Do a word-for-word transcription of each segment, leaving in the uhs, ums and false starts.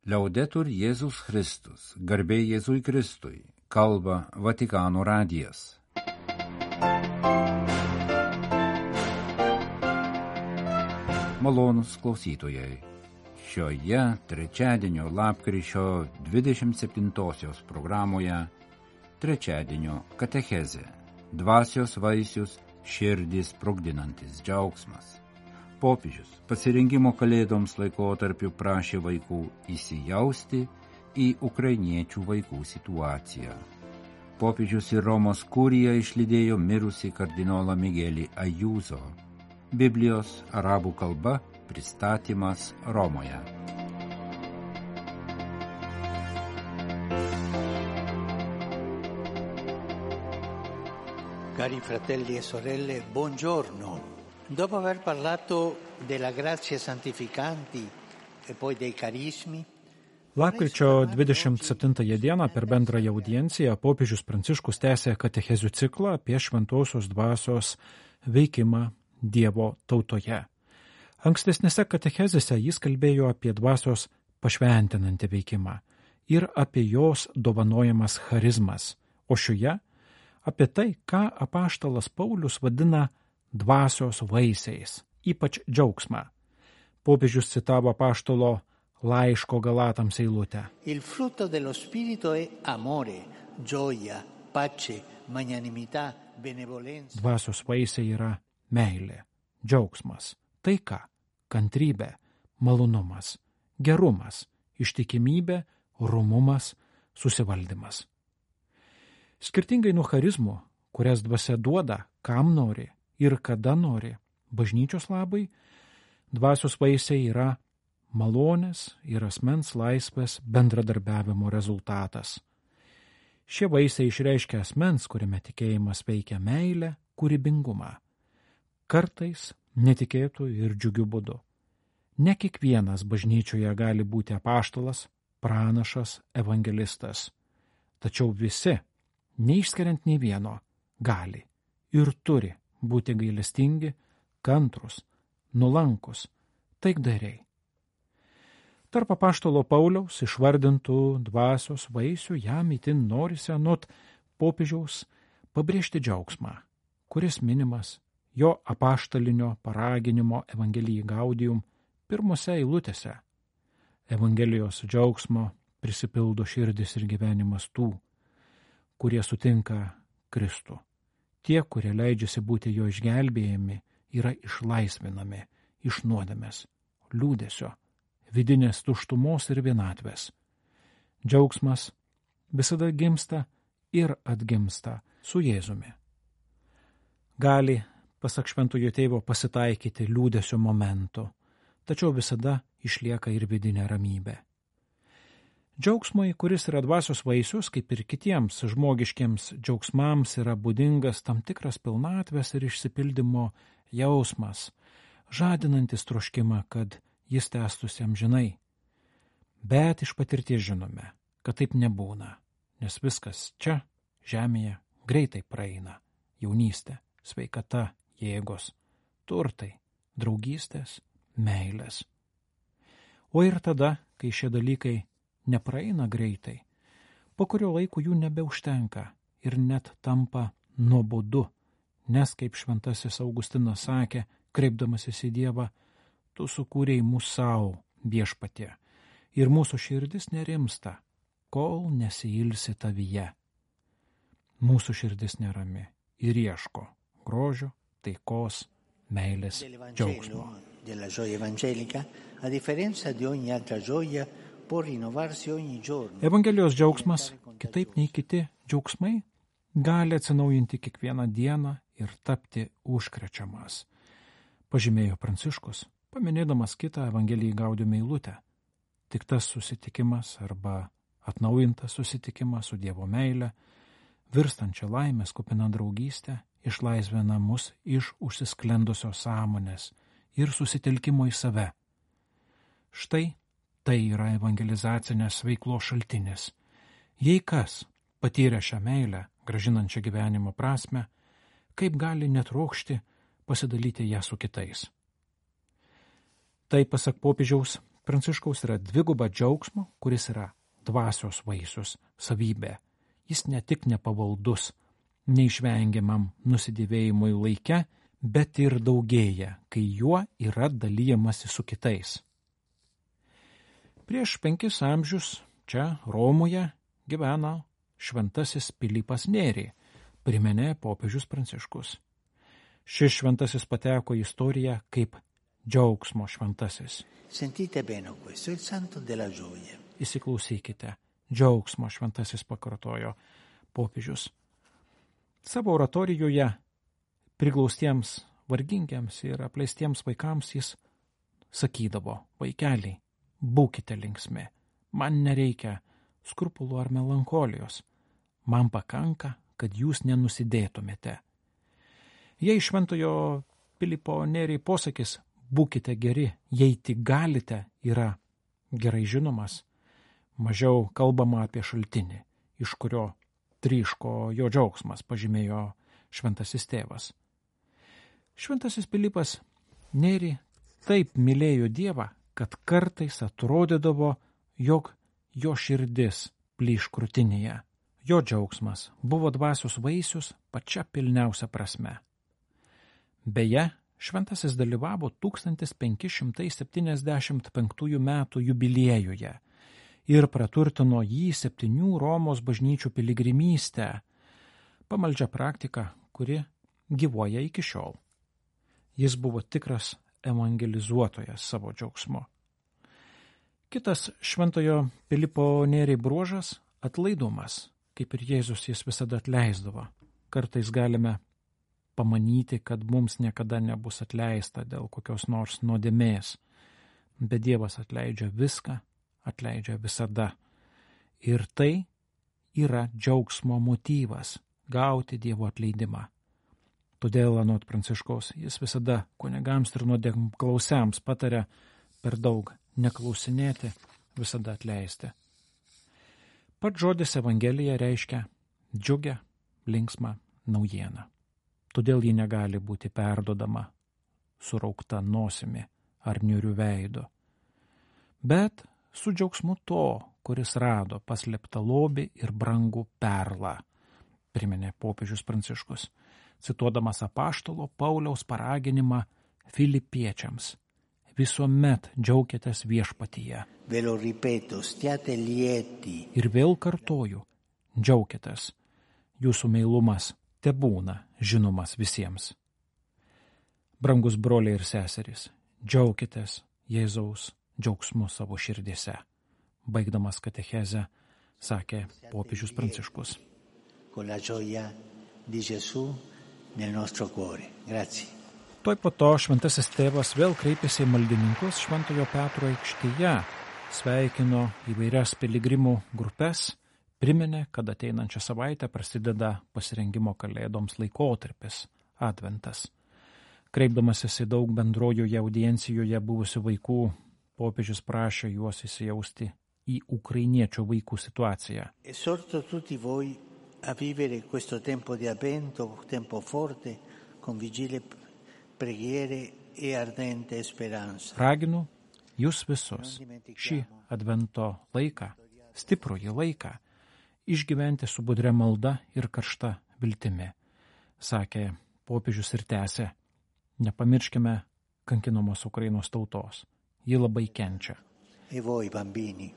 Liaudetur Jėzus Kristus, garbė Jėzui Kristui, kalba Vatikano radijas. Malonūs klausytojai, šioje trečiadienio lapkričio dvidešimt septintosios programoje trečiadienio katechezė, dvasios vaisius, širdį sprogdinantis džiaugsmas. Popiežius pasirengimo kalėdoms laikotarpiu prašė vaikų įsijausti į ukrainiečių vaikų situaciją. Popiežius ir Romos kurija išlydėjo mirusį kardinolą Migelį Ajūzo. Biblijos arabų kalba pristatymas Romoje. Cari fratelli e sorelle, buongiorno. Dopo aver parlato della grazia santificanti e poi dei carismi, Lapkričio dvidešimt septintąją dieną per bendrąją audienciją popiežius Pranciškus tęsė katechezių ciklą apie šventosios dvasios veikimą Dievo tautoje. Ankstesnėse katechezėse jis kalbėjo apie dvasios pašventinantį veikimą ir apie jos dovanojamas charizmas, o šioje apie tai, ką apaštalas Paulius vadina dvasios vaisiais, ypač džiaugsmą. Popiežius citavo apaštalo laiško Galatams eilutę. Il frutto dello spirito è amore, gioia, pace, magnanimità, benevolenza. Dvasios vaisiai yra meilė, džiaugsmas, taika, kantrybė, malonumas, gerumas, ištikimybė, rumumas, susivaldymas. Skirtingai nuo charizmų, kurias dvasia duoda, kam nori ir kada nori, bažnyčios labai, dvasios vaisiai yra malonės ir asmens laisvės bendradarbiavimo rezultatas. Šie vaisiai išreiškia asmens, kuriame tikėjimas veikia meilę, kūrybingumą. Kartais netikėtų ir džiugių būdų. Ne kiekvienas bažnyčioje gali būti apaštalas, pranašas, evangelistas. Tačiau visi, neišskiriant nei vieno, gali ir turi būti gailestingi, kantrus, nulankus, taikdariai. Tarp apaštalo Pauliaus išvardintų dvasios vaisių jam itin norisi anot popiežiaus pabrėžti džiaugsmą, kuris minimas jo apaštalinio paraginimo Evangelijai Gaudium pirmose eilutėse. Evangelijos džiaugsmo prisipildo širdis ir gyvenimas tų, kurie sutinka Kristų. Tie, kurie leidžiasi būti jo išgelbėjami, yra išlaisvinami iš nuodėmės, liūdesio, vidinės tuštumos ir vienatvės. Džiaugsmas visada gimsta ir atgimsta su Jėzumi. Gali, pasak šventojo tėvo, pasitaikyti liūdesio momentų, tačiau visada išlieka ir vidinė ramybė. Džiaugsmui, kuris yra dvasios vaisius, kaip ir kitiems žmogiškiems džiaugsmams, yra būdingas tam tikras pilnatvės ir išsipildymo jausmas, žadinantis troškimą, kad jis tęstųsi amžinai. Bet iš patirties žinome, kad taip nebūna, nes viskas čia, žemėje, greitai praeina. Jaunystė, sveikata, jėgos, turtai, draugystės, meilės. O ir tada, kai šie dalykai nepraeina greitai, po kurio laiko jų nebeužtenka ir net tampa nuobodu, nes, kaip šventasis Augustinas sakė, kreipdamasis į Dievą, tu sukūrei mūsų savo viešpatie ir mūsų širdis nerimsta, kol nesiilsi tavyje. Mūsų širdis nerami ir ieško grožio, taikos, meilės, džiaugsmo. Della gioia evangelica, a differenza di ogni altra gioia, Evangelijos džiaugsmas, kitaip nei kiti džiaugsmai, gali atsinaujinti kiekvieną dieną ir tapti užkrečiamas, pažymėjo Pranciškus, paminėdamas kitą Evangelijai Gaudium eilutę. Tik tas susitikimas arba atnaujintas susitikimas su Dievo meile, virstančia laimės kupina draugystė, išlaisvina mus iš užsisklendusios sąmonės ir susitelkimo į save. Štai tai yra evangelizacinės veiklos šaltinis. Jei kas patyrė šią meilę, gražinančią gyvenimo prasme, kaip gali netrokšti pasidalyti ją su kitais. Tai, pasak popiežiaus, Pranciškaus yra dviguba džiaugsmo, kuris yra dvasios vaisius savybė. Jis ne tik nepavaldus neišvengiamam nusidėvėjimui laike, bet ir daugėja, kai juo yra dalyjamasi su kitais. Prieš penkis amžius čia Romoje gyveno šventasis Pilypas Nėri, priminė popiežius Pranciškus. Šis šventasis pateko į istoriją kaip džiaugsmo šventasis. Sentite bene questo, il santo della gioia. Įsiklausykite, džiaugsmo šventasis pakartojo popiežius. Savo oratorijoje priglaustiems, vargingiams ir apleistiems vaikams jis sakydavo: vaikeliai, būkite linksmi, man nereikia skrupulų ar melancholijos, man pakanka, kad jūs nenusidėtumėte. Jei šventojo Pilypo Nėri posakis būkite geri, jei tik galite, yra gerai žinomas, mažiau kalbama apie šaltinį, iš kurio tryško jo džiaugsmas, pažymėjo šventasis tėvas. Šventasis Pilypas Nėri taip mylėjo Dievą, kad kartais atrodydavo, jog jo širdis plyš krūtinėje. Jo džiaugsmas buvo dvasios vaisius pačia pilniausia prasme. Beje, šventasis dalyvavo tūkstantis penki šimtai septyniasdešimt penktųjų metų jubiliejuje ir praturtino jį septynių Romos bažnyčių piligrimystę, pamaldžią praktiką, kuri gyvuoja iki šiol. Jis buvo tikras evangelizuotojas savo džiaugsmu. Kitas šventojo Pilypo Nėri bruožas – atlaidumas. Kaip ir Jėzus, jis visada atleisdavo. Kartais galime pamanyti, kad mums niekada nebus atleista dėl kokios nors nuodėmės, bet Dievas atleidžia viską, atleidžia visada. Ir tai yra džiaugsmo motyvas – gauti Dievo atleidimą. Todėl, anot Pranciškaus, jis visada kunigams ir nuodėmklausiams pataria per daug neklausinėti, visada atleisti. Pats žodis Evangelija reiškia džiugę, linksmą naujieną. Todėl ji negali būti perdodama suraukta nosimi ar niūriu veidu. Bet su džiaugsmu to, kuris rado paslėptą lobį ir brangų perlą, priminė popiežius Pranciškus, cituodamas apaštalo Pauliaus paraginimą filipiečiams. Visuomet džiaukitės viešpatyje. Ve lo ripeto, stiate lieti. Ir vėl kartoju, džiaukitės. Jūsų meilumas tebūna žinomas visiems. Brangus broliai ir seserys, džiaukitės Jėzaus džiaugsmu savo širdyse. Baigdamas katechezę, sakė popiežius Pranciškus. Con la gioia di Gesù nel nostro cuore. Grazie. Tuoj po to šventasis tėvas vėl kreipėsi į maldininkus Šventojo Petro aikštėje, sveikino įvairias piligrimų grupes, priminė, kad ateinančią savaitę prasideda pasirengimo kalėdoms laikotarpis – adventas. Kreipdamasis į daug bendrojoje audiencijoje buvusių vaikų, popiežius prašė juos įsijausti į ukrainiečių vaikų situaciją. Esorto tutti voi a vivere questo tempo di avvento, tempo forte, con vigile preghiere e ardente speranza. Raginu jūs visus šį advento laiką, stiprųjį laiką, išgyventi su budria malda ir karšta viltimi, sakė popiežius ir tęsė. Nepamirškime kankinamos Ukrainos tautos. Ji labai kenčia. E voi bambini,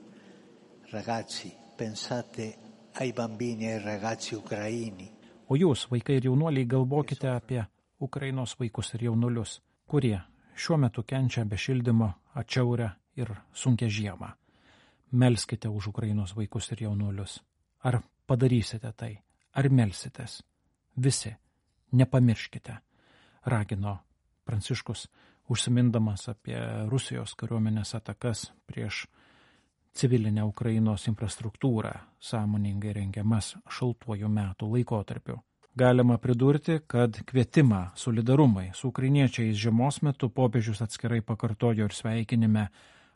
ragazzi, pensate ai bambini e ragazzi ucraini. O jūs, vaikai ir jaunuoliai, galvokite apie Ukrainos vaikus ir jaunulius, kurie šiuo metu kenčia be šildymo, atšiaurę ir sunkią žiemą. Melskite už Ukrainos vaikus ir jaunulius. Ar padarysite tai? Ar melsitės? Visi, nepamirškite, ragino Pranciškus, užsimindamas apie Rusijos kariuomenės atakas prieš civilinę Ukrainos infrastruktūrą, sąmoningai rengiamas šaltuoju metų laikotarpiu. Galima pridurti, kad kvietimą solidarumai su ukrainiečiais žiemos metu popiežius atskirai pakartojo ir sveikinime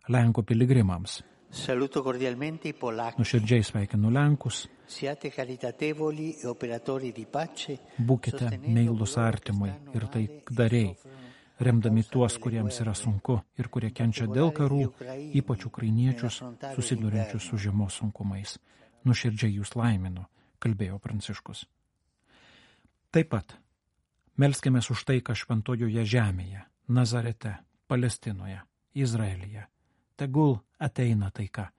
Lenkų piligrimams. Saluto cordialmente i polacchi. Nuširdžiai sveikinu Lenkus. Siate caritatevoli e operatori di pace. Būkite meilūs artimui ir taikdariai. remdami tuos, kuriems yra sunku ir kurie kenčia dėl karų, ypač ukrainiečius, susidurinčius su žiemos sunkumais. Nuširdžiai jūs laiminu, kalbėjo Pranciškus. Taip pat melskimės už taiką šventojoje žemėje, Nazarete, Palestinoje, Izraelyje. Tegul ateina taika.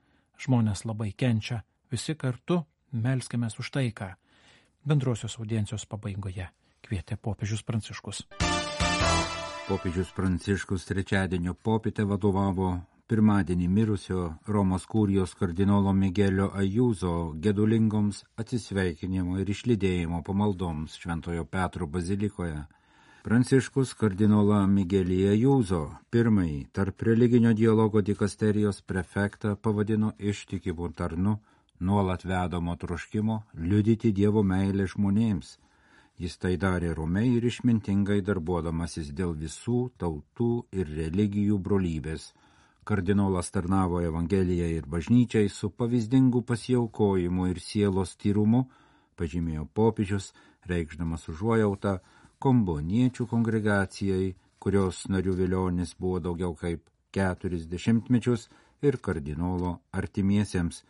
Žmonės labai kenčia, visi kartu melskimės už taiką. Bendrosios audiencijos pabaigoje kvietė popiežius Pranciškus. Popiežius Pranciškus trečiadienio popietę vadovavo pirmadienį mirusio Romos kurijos kardinolo Migelio Ajuzo gedulingoms atsisveikinimo ir išlydėjimo pamaldoms Šventojo Petro bazilikoje. Pranciškus kardinolą Migelį Ajuzo, pirmąjį tarp religinio dialogo dikasterijos prefektą, pavadino ištikimu tarnu, nuolat vedamo troškimo liudyti Dievo meilę žmonėms. Jis tai darė romiai ir išmintingai darbuodamasis dėl visų tautų ir religijų brolybės. Kardinolas tarnavo Evangelijai ir bažnyčiai su pavyzdingu pasiaukojimu ir sielos tyrumu, pažymėjo popiežius, reikšdamas užuojautą komboniečių kongregacijai, kurios narių vilionis buvo daugiau kaip keturis dešimtmečius, ir kardinolo artimiesiems.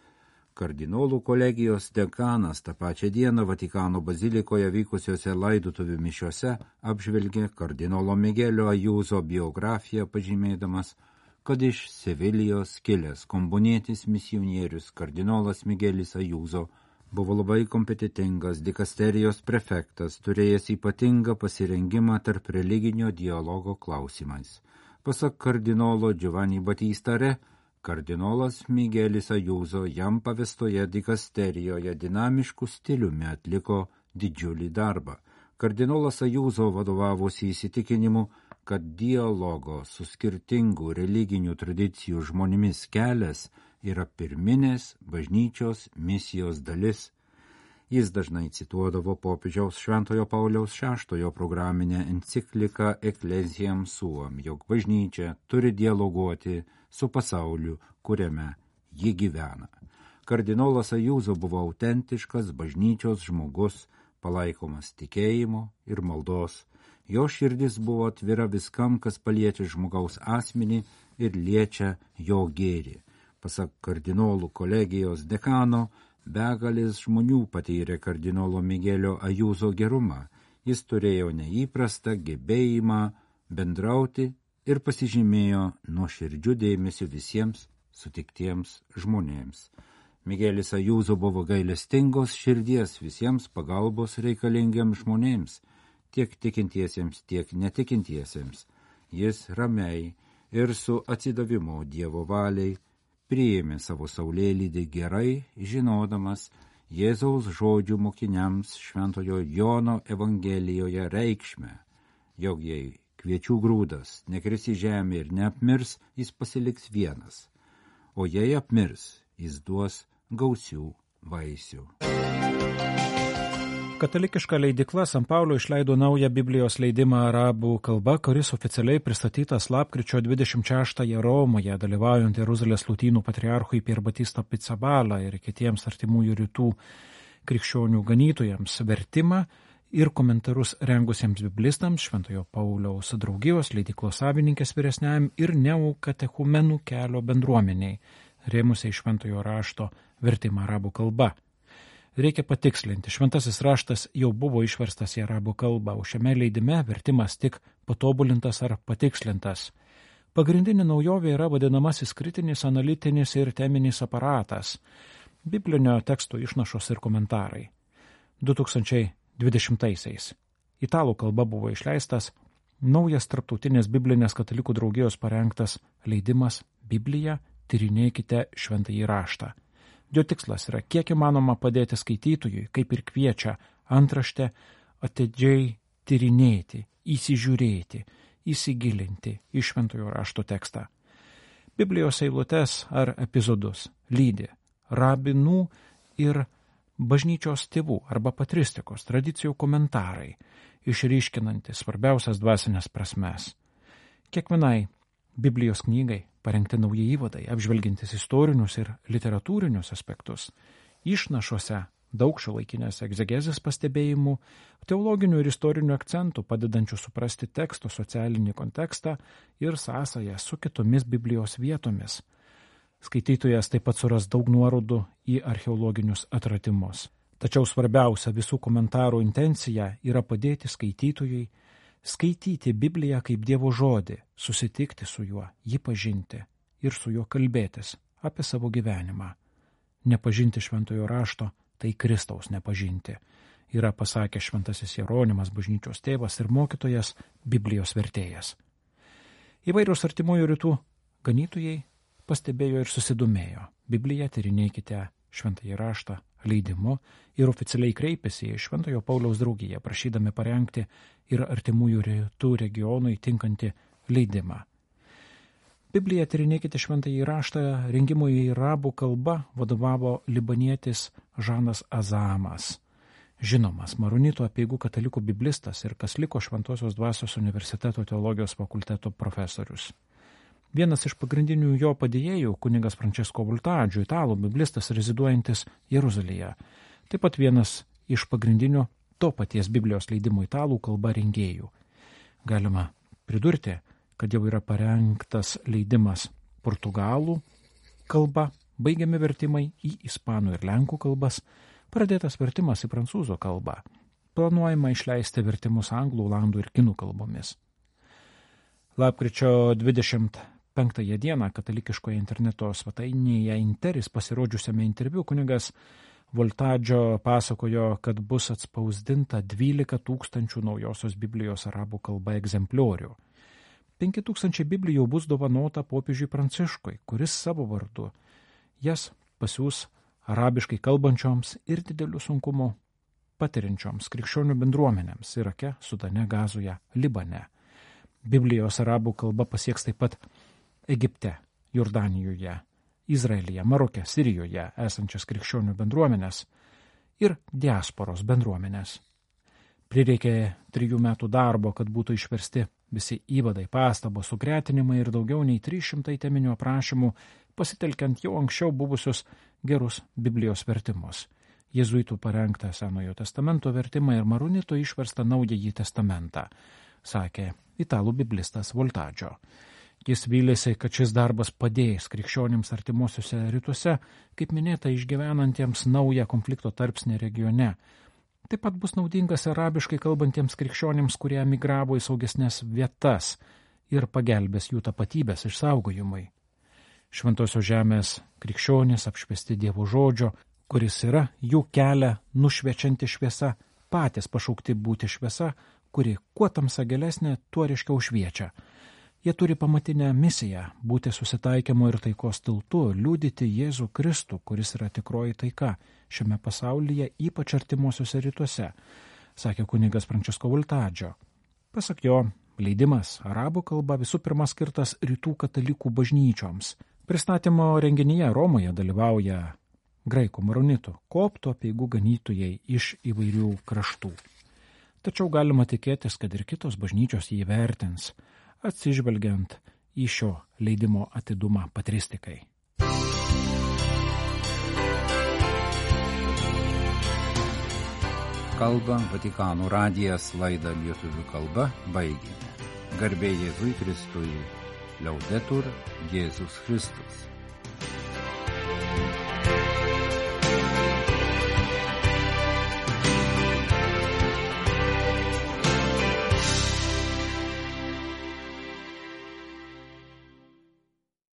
Kardinolų kolegijos dekanas tą pačią dieną Vatikano bazilikoje vykusiuose laidotuvių mišiuose apžvelgė kardinolo Migelio Ajuzo biografiją, pažymėdamas, kad iš Sevilijos kilęs kombonietis misionierius kardinolas Migelis Ajuzo buvo labai kompetitingas dikasterijos prefektas, turėjęs ypatingą pasirengimą tarp religinio dialogo klausimais. Pasak kardinolo Giovanni Battista Re, kardinolas Migelis Ajuzo jam pavestoje dikasterijoje dinamiškų stiliumi atliko didžiulį darbą. Kardinolas Ajuzo vadovavosi įsitikinimu, kad dialogo su skirtingų religinių tradicijų žmonėmis kelias yra pirminės bažnyčios misijos dalis. Jis dažnai cituodavo popiežiaus Šventojo Pauliaus šeštojo programinę encikliką Ecclesiam Suam, jog bažnyčia turi dialoguoti su pasauliu, kuriame ji gyvena. Kardinolas Ajuzo buvo autentiškas bažnyčios žmogus, palaikomas tikėjimo ir maldos. Jo širdis buvo atvira viskam, kas paliečia žmogaus asmenį ir liečia jo gėrį. Pasak kardinolų kolegijos dekano, begalės žmonių patyrė kardinolo Migelio Ajuzo gerumą. Jis turėjo neįprastą gebėjimą bendrauti ir pasižymėjo nuoširdžiu dėmesiu visiems sutiktiems žmonėms. Migelis Ajuzo buvo gailestingos širdies visiems pagalbos reikalingiems žmonėms, tiek tikintiesiems, tiek netikintiesiems. Jis ramiai ir su atsidavimu Dievo valiai priėmė savo saulėlydį gerai, žinodamas Jėzaus žodžių mokiniams Šventojo Jono Evangelijoje reikšmę, jog jei kviečių grūdas nekris į žemę ir neapmirs, jis pasiliks vienas, o jei apmirs, jis duos gausių vaisių. Katalikiška leidykla San Paulo išleido naują Biblijos leidimą arabų kalba, kuris oficialiai pristatytas lapkričio dvidešimt šeštąją Romoje, dalyvaujant Jeruzalės lotynų patriarchui Pier Battista Pizzaballa ir kitiems artimųjų rytų krikščionių ganytojams, vertimą ir komentarus rengusiems biblistams, Šventojo Pauliaus draugijos leidyklos savininkės vyresniajam ir neokatechumenų kelio bendruomeniai, rėmusiai Šventojo rašto vertimą arabų kalba. Reikia patikslinti, šventasis raštas jau buvo išverstas į arabų kalbą, o šiame leidime vertimas tik patobulintas ar patikslintas. Pagrindinė naujovė yra vadinamasis kritinis, analitinis ir teminis aparatas, biblinio teksto išnašos ir komentarai. du tūkstančiai dvidešimtaisiais italų kalba buvo išleistas naujas tarptautinės biblinės katalikų draugijos parengtas leidimas Biblija, tyrinėkite šventąjį raštą. Jo tikslas yra kiek įmanoma padėti skaitytojui, kaip ir kviečia antraštę, atidžiai tyrinėti, įsižiūrėti, įsigilinti į šventojo rašto tekstą. Biblijos eilutes ar epizodus lydi rabinų ir bažnyčios tėvų arba patristikos tradicijų komentarai, išryškinantis svarbiausias dvasinės prasmes. Kiekvienai Biblijos knygai parengti nauji įvadai, apžvelgintis istorinius ir literatūrinius aspektus. Išnašuose daug šiuolaikinės egzegezės pastebėjimų, teologinių ir istorinių akcentų, padedančių suprasti teksto socialinį kontekstą ir sąsają su kitomis Biblijos vietomis. Skaitytojas taip pat suras daug nuorodų į archeologinius atradimus. Tačiau svarbiausia visų komentarų intencija yra padėti skaitytojui skaityti Bibliją kaip Dievo žodį, susitikti su juo, jį pažinti ir su juo kalbėtis apie savo gyvenimą. Nepažinti šventojo rašto – tai Kristaus nepažinti, yra pasakęs šventasis Jeronimas, bažnyčios tėvas ir mokytojas, Biblijos vertėjas. Įvairios artimųjų rytų ganytojai pastebėjo ir susidomėjo. Bibliją tyrinėkite šventąjį raštą leidimu ir oficialiai kreipėsi į Šventojo Pauliaus draugiją, prašydami parengti ir artimųjų rytų regionui tinkantį leidimą. Bibliją tyrinėkite šventąjį raštą rengimui į arabų kalbą vadovavo libanietis Žanas Azamas, žinomas Maronito apeigų katalikų biblistas ir kas liko Šventosios dvasios universiteto teologijos fakulteto profesorius. Vienas iš pagrindinių jo padėjėjų, kunigas Francesco Voltaggio, italų biblistas reziduojantis Jeruzalėje. Taip pat vienas iš pagrindinių to paties Biblijos leidimo italų kalba rengėjų. Galima pridurti, kad jau yra parengtas leidimas portugalų kalba, baigiami vertimai į ispanų ir lenkų kalbas, pradėtas vertimas į prancūzų kalbą. Planuojama išleisti vertimus anglų, olandų ir kinų kalbomis. Lapkričio dvidešimt penktąją dieną katalikiškoje interneto svetainėje Interis pasirodžiusiame interviu kunigas Voltaggio pasakojo, kad bus atspausdinta dvylika tūkstančių naujosios Biblijos arabų kalba egzempliorių. penki tūkstančiai Biblijų bus dovanota popiežiui Pranciškui, kuris savo vardu jas pasiūs arabiškai kalbančioms ir didelių sunkumų patiriančioms krikščionių bendruomenėms Irake, Sudane, Gazoje, Libane. Biblijos arabų kalba pasieks taip pat Egipte, Jordanijoje, Izraelyje, Maroke, Sirijoje esančias krikščionių bendruomenės ir diasporos bendruomenės. Prireikė trijų metų darbo, kad būtų išversti visi įvadai, pastabos, sugretinimai ir daugiau nei trys šimtai teminių aprašymų, pasitelkiant jau anksčiau buvusius gerus Biblijos vertimus. Jėzuitų parengtą Senojo testamento vertimą ir Maronito išverstą Naująjį testamentą, sakė italų biblistas Voltaggio. Jis vylėsi, kad šis darbas padės krikščionims artimuosiuose rytuose, kaip minėta, išgyvenantiems naują konflikto tarpsnį regione. Taip pat bus naudingas arabiškai kalbantiems krikščionims, kurie emigravo į saugesnės vietas ir pagelbės jų tapatybės išsaugojimui. Šventosios žemės krikščionys apšviesti Dievo žodžio, kuris yra jų kelią nušviečianti šviesa, patys pašaukti būti šviesa, kuri kuo tamsa gilesnė, tuo ryškiau šviečia. Jie turi pamatinę misiją būti susitaikymo ir taikos tiltu, liudyti Jėzų Kristų, kuris yra tikroji taika šiame pasaulyje, ypač artimuosiuose rytuose, sakė kunigas Francesco Voltaggio. Pasak jo, leidimas arabų kalba visų pirma skirtas rytų katalikų bažnyčioms. Pristatymo renginyje Romoje dalyvauja graikų maronitų, koptų apeigų ganytojai iš įvairių kraštų. Tačiau galima tikėtis, kad ir kitos bažnyčios jį vertins, atsižvelgiant į šio leidimo atidumą patristikai. Kalba Vatikano radijas, laidą lietuvių kalba baigėme. Garbė Jėzui Kristui, Liaudetur Jėzus Kristus.